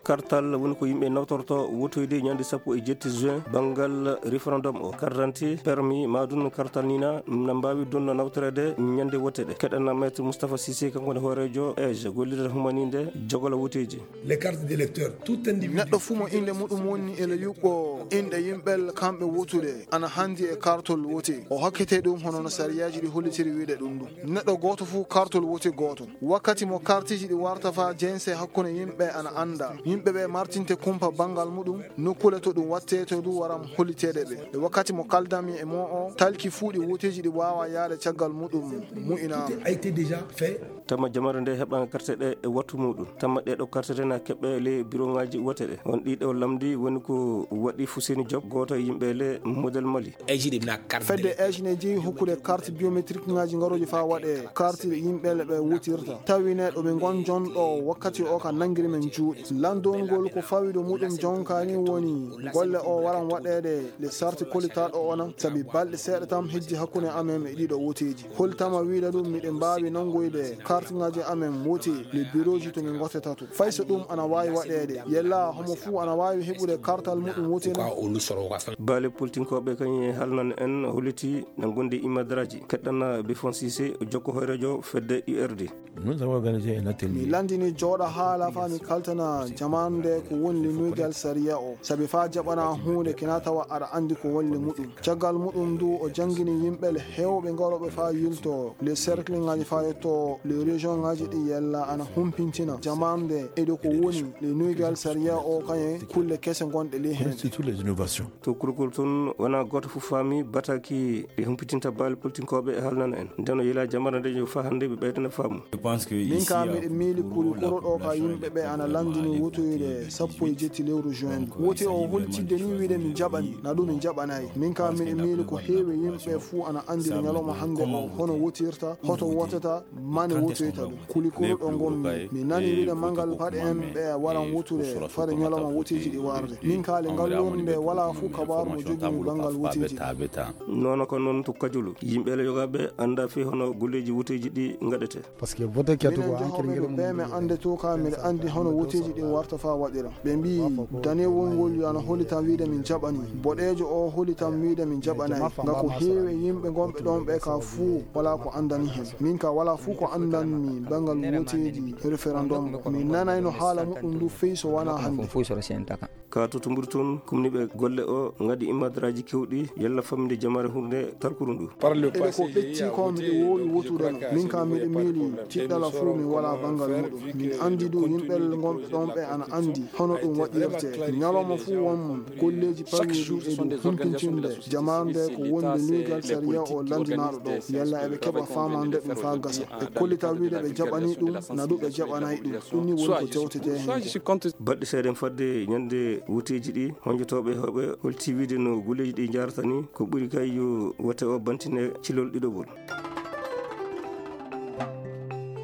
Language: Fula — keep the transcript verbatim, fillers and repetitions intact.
Kartal woni ko yimɓe nawtorto wotoyde ñande sappo e jetti juin banngal référendum o. Carte d'identité, permis, ma ɗum kartal ni na, na mbaawi ɗum nawtoreede ñande wote ɗe. Keɗana Maître Moustapha Cissé, kanko ne hooreejo ej, gollirde humaninde jogola woteeji. Les cartes d'électeurs, tout individu. Neɗɗo fuu mo innde muɗum woni e le yuɓɓo inɗe yimɓe kamɓe wotude ana hanndi e kartol wote. O hokkete ɗum hono no sariyaaji ɗi hollitiri wiide ɗum ɗum. Neɗɗo gooto fuu kartol wote gooto. Wakkati mo kartiji ɗi warta faa jense hakkunde yimɓe ana annda. Yimɓe ɓe martinte kumpa banngal muɗum, nokkuule to ɗum watte to du waram holliteede ɓe. E wakkati mo kaldami e mo o, talki fuu ɗi woteeji ɗi waawa yaade caggal muɗum mu'inaama. Tout a été déjà fait. Tama jamare nde heɓa karte ɗe e wattu muɗum. Tama ɗe ɗo karte ɗe na keɓe le bureau ngaji wote ɗe. On ɗiɗo lamdi woni ko waɗi Fuseni Job, gooto e yimɓe le modèle Mali. Fedde ejine jeyi hokkude carte biométrique ngaji ngaroji faa waɗe carte yimɓe le ɓe wotirta. Tawi ne ɗo ɓe ngon jonɗo wakkati o ka nangiri men juuɗe. Landongol ko fawi ɗo muɗum jonka ni woni golle o waran waɗeede le sarti kolitaaɗo o nan. Sabi balɗe seeɗa tam hejji hakkunde amen e ɗiɗo woteeji. Holtama wiide ɗum miɗen mbaawi nanngoyde kartingaaji amen woti le birooji to min ngottata to. Fay so ɗum ana waawi waɗeede, yella homo fuu ana waawi heɓude kartal muɗum wotini. Baale politinkooɓe kañum e halnan en holliti na ngondi imadraji. Keɗɗana Bifon Cissé, jokko hoyrejo fedde U R D. Nous avons organisé un atelier. Mi landini jooɗa haala faa mi kaltana jamaanu nde ko woni le nuygal sariya o. Sabi faa jaɓana huunde kina tawa aɗa anndi ko woni le muɗum. Caggal muɗum du o janngini yimɓe le heewɓe ngarooɓe faa yilto le cercle ngaji faa yetto le région ngaji ɗi yella ana humpintina jamaanu nde eɗo ko woni le nuygal sariya o kañe kulle kese ngonɗe le heen. Surtout les innovations. To kurkol toon wona gooto fof faami bataki ɗi humpitinta baali politinkooɓe e haalnana en. Nden o yila jamara nde yo faa hannde ɓe ɓeydana faamu. Min ka miɗo miili kuli koro ɗo ka yimɓe ɓe ana lanndini wotoyde sappo e jetti lewru juin. Woti o holtidde ni wiide mi jaɓani, na ɗum mi jaɓanayi. Min ka miɗo miili ko heewi yimɓe fuu ana anndiri ñalawma hannde o, hono wotirta, hoto wotata, mane wotoyta ɗum. Kuli koro ɗo ngonmi, mi nani wiide manngal paɗe en ɓe waran wotude fare ñalawma woteeji ɗi warde. Min ka le ngal lornde wala fuu kabaaru mo jogimi banngal woteeji. Nono ko noon to Kajulu, yimɓe le yogaaɓe annda fii hono golleeji woteeji ɗi ngaɗete. Parce que vote ke to minen ko hankiri jehooɓe ngel ɗo mum ɓe mi annde to ka miɗo anndi hono woteeji ɗi warta faa waɗira. Ɓe mbii danewol ngol yo ana holi tan wiide min jaɓani. Boɗeejo o holi tan wiide min jaɓanayi. Nga ko heewi e yimɓe ngonɓe ɗon ɓe ka fuu wala ko anndani hen. Min ka wala fuu ko anndanmi banngal woteeji référendum. Mi nanayno haala muɗum ndu fey so wona hannde. Ka to Tumburi toon, kumniiɓe golle o ngadi imadraaji keewɗi yalla faminde jamaare hurnde talkuru ndu. Eɗe ko ɓecci ko miɗo woowi wotude no. Min ka miɗo miili tiɗɗala fuu mi wala banngal muɗum. Min anndi du yimɓe gonɓe ɗon ɓe ana anndi hono ɗum waɗirte. Ñalawma fuu won golleeji pawii ɗi e ɗum humpitinde jamaare nde ko wonde nuygal sariya o lanndinaaɗo ɗo. Yalla eɓe keɓa faamande ɗum faa gasa. Ɓe kollita wiide ɓe jaɓanii ɗum, na du ɓe jaɓanayi ɗum. Ɗum ni woni ko tewtete heen. Baɗɗe seeɗa fadde ñande woteeji ɗi, honjotooɓe heewɓe holti wiide no golleeji ɗi njahrata ni, ko ɓuri kay yo wote o bantine cilol ɗiɗoɓol.